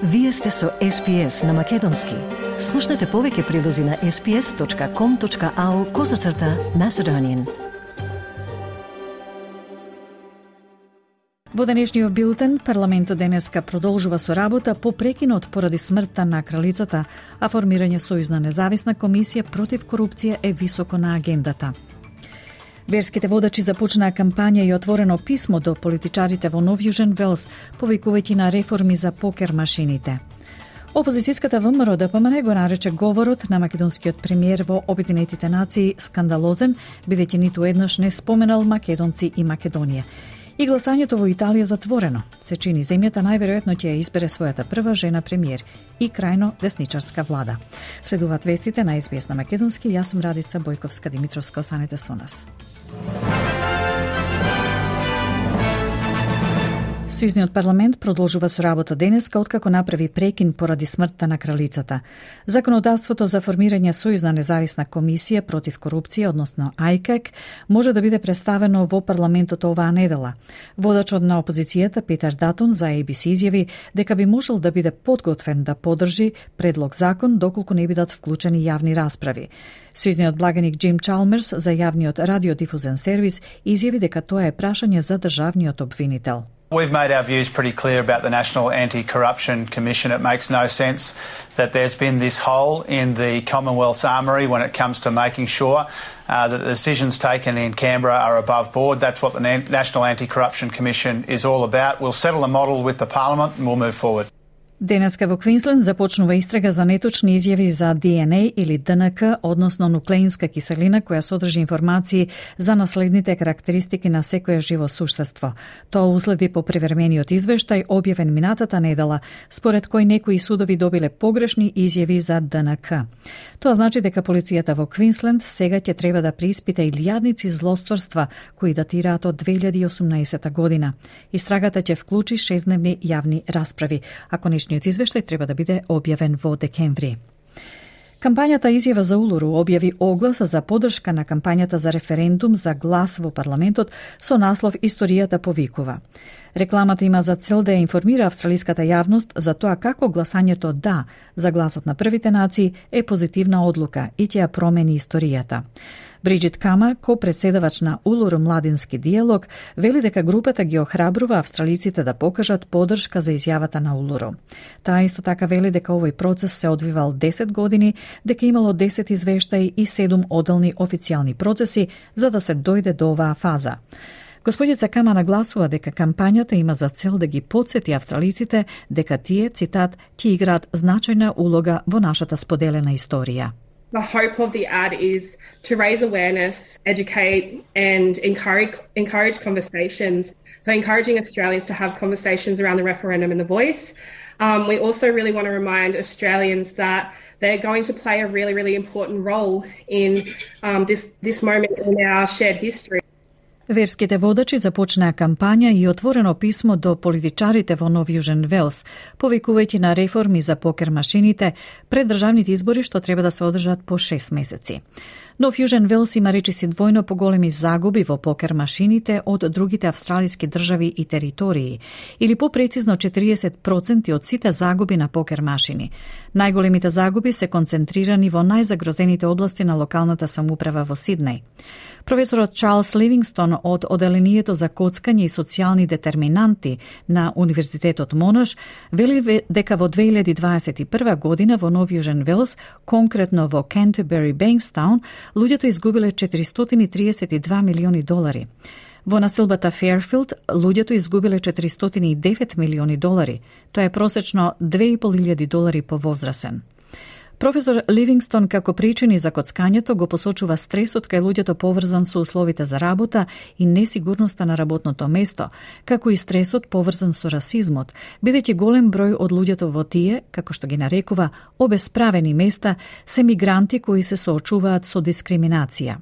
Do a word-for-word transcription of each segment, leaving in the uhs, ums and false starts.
Вие сте со Ес Пи Ес на Македонски. Слушнете повеќе прилози на ес пи ес точка ком точка ау козацрта Macedonian. Во денешниот билтен, парламентот денеска продолжува со работа по прекинот поради смртта на кралицата, а формирање сојузна независна комисија против корупција е високо на агендата. Верските водачи започнаа кампања и отворено писмо до политичарите во Нов Јужен Велс, повикувајќи на реформи за покер машините. Опозицијската ВМРО Д П М Н го нарече говорот на македонскиот премиер во Обединетите нации скандалозен, бидејќи ниту еднаш не споменал македонци и Македонија. И гласањето во Италија затворено. Се чини земјата најверојатно ќе ја избере својата прва жена премиер и крајно десничарска влада. Следуваат вестите на Ес Би Ес на Македонски. Јас сум Радица Бојковска Димитровска. Останете со нас. Сојузниот парламент продолжува со работа денеска откако направи прекин поради смртта на кралицата. Законодавството за формирање сојузна независна комисија против корупција, односно Ај К Е К, може да биде представено во парламентот оваа недела. Водачот на опозицијата Петер Датон за Ей Би Си изјави дека би можел да биде подготвен да подржи предлог закон доколку не бидат вклучени јавни расправи. Сојузниот благаник Джим Чалмерс за јавниот радиодифузен сервис изјави дека тоа е прашање за државниот обвинител. We've made our views pretty clear about the National Anti-Corruption Commission. It makes no sense that there's been this hole in the Commonwealth's armoury when it comes to making sure uh, that the decisions taken in Canberra are above board. That's what the National Anti-Corruption Commission is all about. We'll settle a model with the Parliament and we'll move forward. Денеска во Квинсленд започнува истрага за неточни изјави за Ди Ен Ей или Д Н К, односно нуклеинска киселина која содржи информации за наследните карактеристики на секое живо суштество. Тоа уследи по привремениот извештај објавен минатата недела, според кој некои судови добиле погрешни изјави за Д Н К. Тоа значи дека полицијата во Квинсленд сега ќе треба да преиспита илјадници злосторства кои датираат од две илјади и осумнаесета година. Истрагата ќе вклучи шестдневни јавни расправи, ако нешто извештај треба да биде објавен во декември. Кампањата Изјава за Улуру објави оглас за поддршка на кампањата за референдум за глас во парламентот со наслов Историјата повикува. Рекламата има за цел да ја информира австралиската јавност за тоа како гласањето да за гласот на првите нации е позитивна одлука и ќе ја промени историјата. Бриджит Кама, ко-председавач на Улуру младински диалог, вели дека групата ги охрабрува австралиците да покажат поддршка за изјавата на Улуру. Таа исто така вели дека овој процес се одвивал десет години, дека имало десет извештаи и седум одделни официјални процеси за да се дојде до оваа фаза. Господица Кама нагласува дека кампањата има за цел да ги потсети австралиците дека тие, цитат, ќе играат значајна улога во нашата споделена историја. The hope of the ad is to raise awareness, educate and encourage, encourage conversations. So encouraging Australians to have conversations around the referendum and the voice. Um, we also really want to remind Australians that they're going to play a really, really important role in um, this, this moment in our shared history. Верските водачи започнаа кампања и отворено писмо до политичарите во Нов Јужен Велс, повикувајќи на реформи за покер машините пред државните избори што треба да се одржат по шест месеци. Нов Јужен Велс има речиси двојно поголеми загуби во покер машините од другите австралиски држави и територии, или попрецизно четириесет проценти од сите загуби на покер машини. Најголемите загуби се концентрирани во најзагрозените области на локалната самоуправа во Сиднеј. Професорот Чарлс Ливингстон од Оделението за коцкање и социјални детерминанти на Универзитетот Монаш вели дека во две илјади дваесет и прва година во Нов Јужен Велс, конкретно во Кентербери Бенкстаун, луѓето изгубиле четиристотини и триесет и два милиони долари. Во населбата Ферфилд, луѓето изгубиле четиристотини и девет милиони долари. Тоа е просечно две и пол илјади долари по возрасен. Професор Ливингстон како причини за коцкањето го посочува стресот кај луѓето поврзан со условите за работа и несигурноста на работното место, како и стресот поврзан со расизмот, бидејќи голем број од луѓето во тие, како што ги нарекува, обесправени места, се мигранти кои се соочуваат со дискриминација.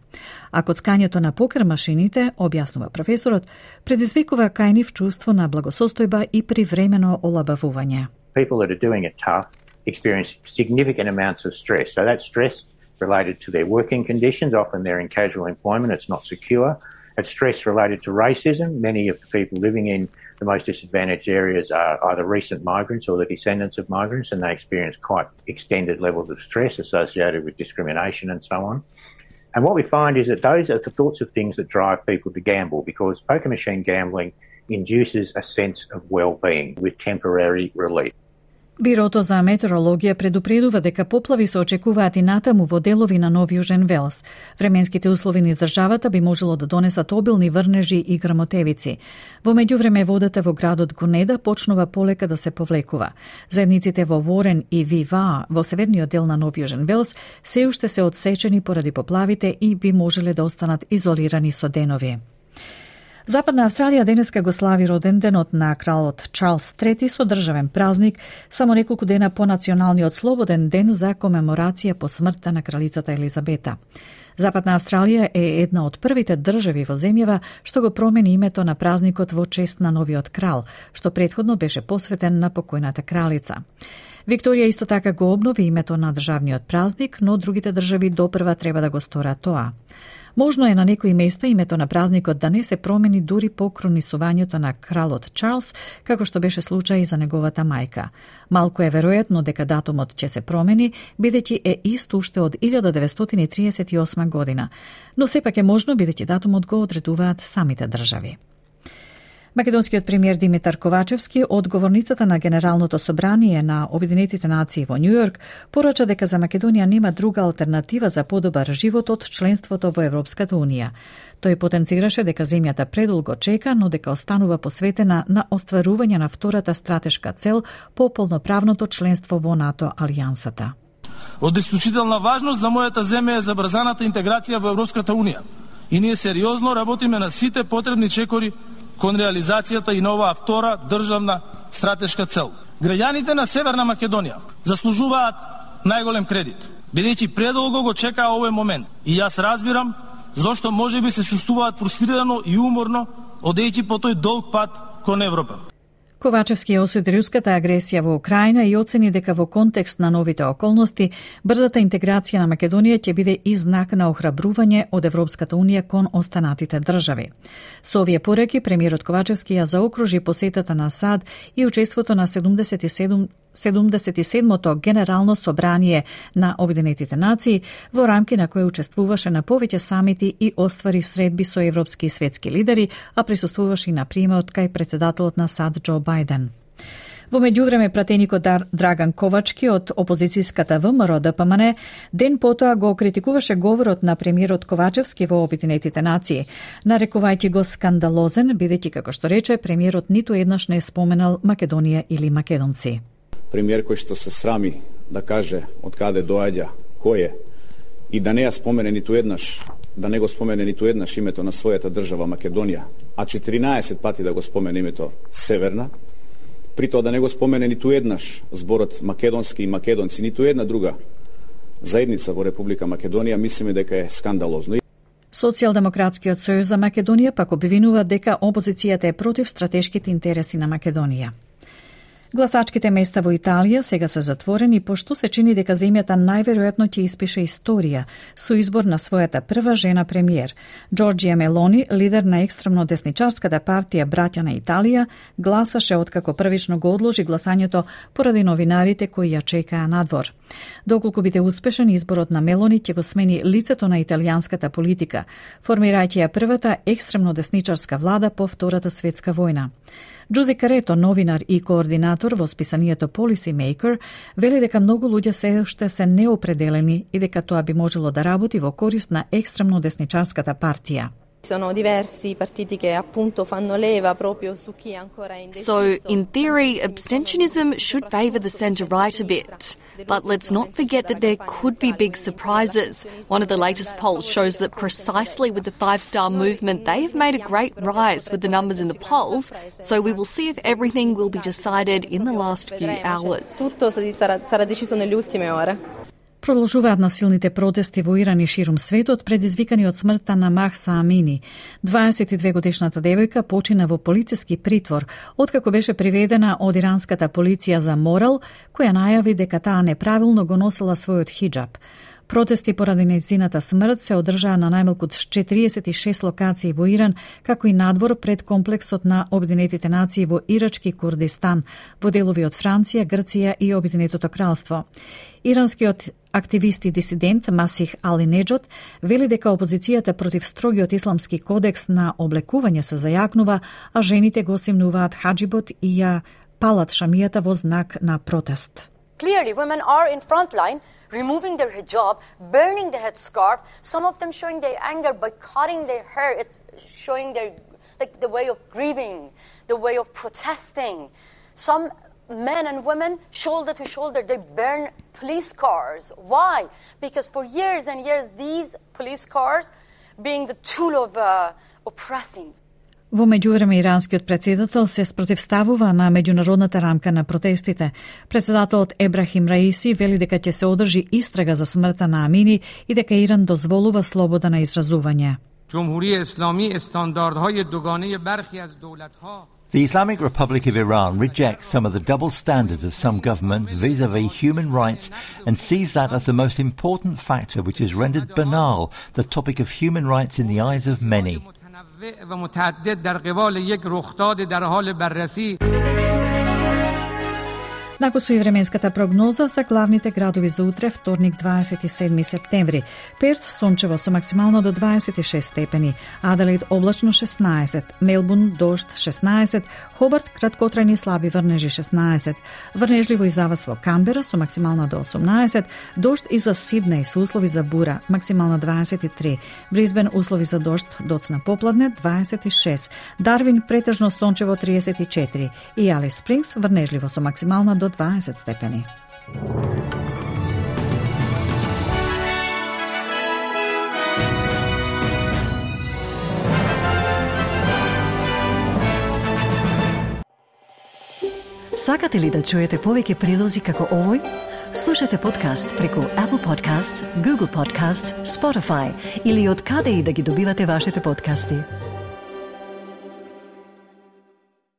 А коцкањето на покер машините, објаснува професорот, предизвикува кај нив чувство на благосостојба и привремено олабавување. People that are doing it tough experience significant amounts of stress. So that's stress related to their working conditions. Often they're in casual employment. It's not secure. It's stress related to racism. Many of the people living in The most disadvantaged areas are either recent migrants or the descendants of migrants, and they experience quite extended levels of stress associated with discrimination and so on. And what we find is that those are the sorts of things that drive people to gamble, because poker machine gambling induces a sense of well-being with temporary relief. Бирото за метеорологија предупредува дека поплави се очекуваат и натаму во делови на Нов Јужен Велс. Временските услови низ државата би можело да донесат обилни врнежи и грмотевици. Во меѓувреме водата во градот Гунеда почнува полека да се повлекува. Заедниците во Ворен и Вива во северниот дел на Нов Јужен Велс се уште се одсечени поради поплавите и би можеле да останат изолирани со денови. Западна Австралија денеска го слави роден денот на кралот Чарлс трети со државен празник, само неколку дена по националниот слободен ден за комеморација по смртта на кралицата Елизабета. Западна Австралија е една од првите држави во земјава што го промени името на празникот во чест на новиот крал, што претходно беше посветен на покојната кралица. Викторија исто така го обнови името на државниот празник, но другите држави допрва треба да го сторат тоа. Можно е на некои места името на празникот да не се промени дури по кронисувањето на кралот Чарлс, како што беше случај за неговата мајка. Малку е веројатно дека датумот ќе се промени, бидејќи е ист уште од илјада деветстотини и триесет и осма година, но сепак е можно бидејќи датумот го одредуваат самите држави. Македонскиот премиер Димитар Ковачевски од говорницата на Генералното собрание на Обединетите нации во Њујорк порача дека за Македонија нема друга алтернатива за подобар живот од членството во Европската унија. Тој потенцираше дека земјата предолго чека, но дека останува посветена на остварување на втората стратешка цел по полноправното членство во НАТО алијансата. Од исклучителна важност за мојата земја е забрзаната интеграција во Европската унија. И ние сериозно работиме на сите потребни чекори кон реализацијата и на оваа втора државна стратешка цел. Граѓаните на Северна Македонија заслужуваат најголем кредит, бидејќи предолго го чекаа овој момент. И јас разбирам зошто можеби се чувствуваат фрустрирано и уморно, одејќи по тој долг пат кон Европа. Ковачевски осуди руската агресија во Украина и оцени дека во контекст на новите околности, брзата интеграција на Македонија ќе биде и знак на охрабрување од Европската унија кон останатите држави. Со овие пораки, премиерот Ковачевски ја заокружи посетата на САД и учеството на седумдесет и седум седумдесет и седмото Генерално собрание на Обединетите нации, во рамки на кои учествуваше на повеќе самити и оствари средби со европски и светски лидери, а присуствуваше и на примеот кај председателот на САД Џо Бајден. Во меѓувреме, пратеникот Драган Ковачки од опозицијската ВМРО Д П М Н ден потоа го критикуваше говорот на премиерот Ковачевски во Обединетите нации, нарекувајќи го скандалозен, бидејќи, како што рече, премиерот ниту еднаш не е споменал Македонија или македонци. Премиер кој што се срами да каже од каде доаѓа, кој е, и да не ја спомене ниту еднаш, да не го спомене ниту еднаш името на својата држава Македонија, а четиринаесет пати да го спомене името Северна, при тоа да не го спомене ниту еднаш зборот македонски и македонци, ниту една друга заедница во Република Македонија, мислиме дека е скандалозно. Социјалдемократскиот сојуз за Македонија пак обвинува дека опозицијата е против стратешките интереси на Македонија. Гласачките места во Италија сега се затворени, пошто се чини дека земјата најверојатно ќе испише историја со избор на својата прва жена премиер. Џорџија Мелони, лидер на екстремно десничарската партија Браќа на Италија, гласаше откако првично го одложи гласањето поради новинарите кои ја чекаа надвор. Доколку биде успешен, изборот на Мелони ќе го смени лицето на италијанската политика, формирајќи ја првата екстремно десничарска влада по Втората светска војна. Джузи Карето, новинар и координатор во списанието Policy Maker, вели дека многу луѓе се уште се неопределени и дека тоа би можело да работи во корист на екстремно десничарската партија. Sono diversi partiti che appunto fanno leva proprio su chi è ancora indeciso. So, in theory, abstentionism should favour the centre-right a bit. But let's not forget that there could be big surprises. One of the latest polls shows that precisely with the Five Star Movement, they have made a great rise with the numbers in the polls. So we will see if everything will be decided in the last few hours. Tutto sarà, sarà deciso nelle ultime ore. Продолжуваат насилните протести во Иран и ширум светот, предизвикани од смртта на Махса Амини. дваесет и две годишната девојка почина во полициски притвор, откако беше приведена од иранската полиција за морал, која најави дека таа неправилно го носела својот хиджаб. Протести поради нејзината смрт се одржаа на најмалку четириесет и шест локации во Иран, како и надвор пред комплексот на Обединетите нации во Ирачки Курдистан, во делови од Франција, Грција и Обединетото кралство. Иранскиот активист и дисидент Масих Али-Неџот вели дека опозицијата против строгиот исламски кодекс на облекување се зајакнува, а жените го симнуваат хаџибот и ја палат шамијата во знак на протест. Clearly, women are in front line, removing their hijab, burning the headscarf, some of them showing their anger by cutting their hair. It's showing their, like, the way of grieving, the way of protesting. Some men and women, shoulder to shoulder, they burn police cars. Why? Because for years and years, these police cars being the tool of uh, oppressing. Во меѓувреме, иранскиот председател се спротивставува на меѓународната рамка на протестите. Председателот Ебрахим Раиси вели дека ќе се одржи истрага за смртта на Амини и дека Иран дозволува слобода на изразување. The Islamic Republic of Iran rejects some of the double standards of some governments vis-à-vis human rights and sees that as the most important factor which has rendered banal the topic of human rights in the eyes of many. و متعدد در قبال یک رخداد در حال بررسی. Накусу и временската прогноза за главните градови за утре, вторник дваесет и седми септември. Перт сончево со максимално до дваесет и шест степени, Аделаид облачно шеснаесет, Мелбурн дожд шеснаесет, Хобарт краткотрајни слаби врнежи шеснаесет, врнежливо и завас во Камбера со максимална до осумнаесет, дожд и за Сиднеј со услови за бура, максимална дваесет и три, Брисбен услови за дожд доцна попладне дваесет и шест, Дарвин претежно сончево триесет и четири и Алис Спрингс врнежливо со максимална до дваесет степени. Сакате ли да чуете повеќе прилози како овој? Слушате подкаст преку Apple Podcasts, Google Podcasts, Spotify или од каде и да ги добивате вашите подкасти.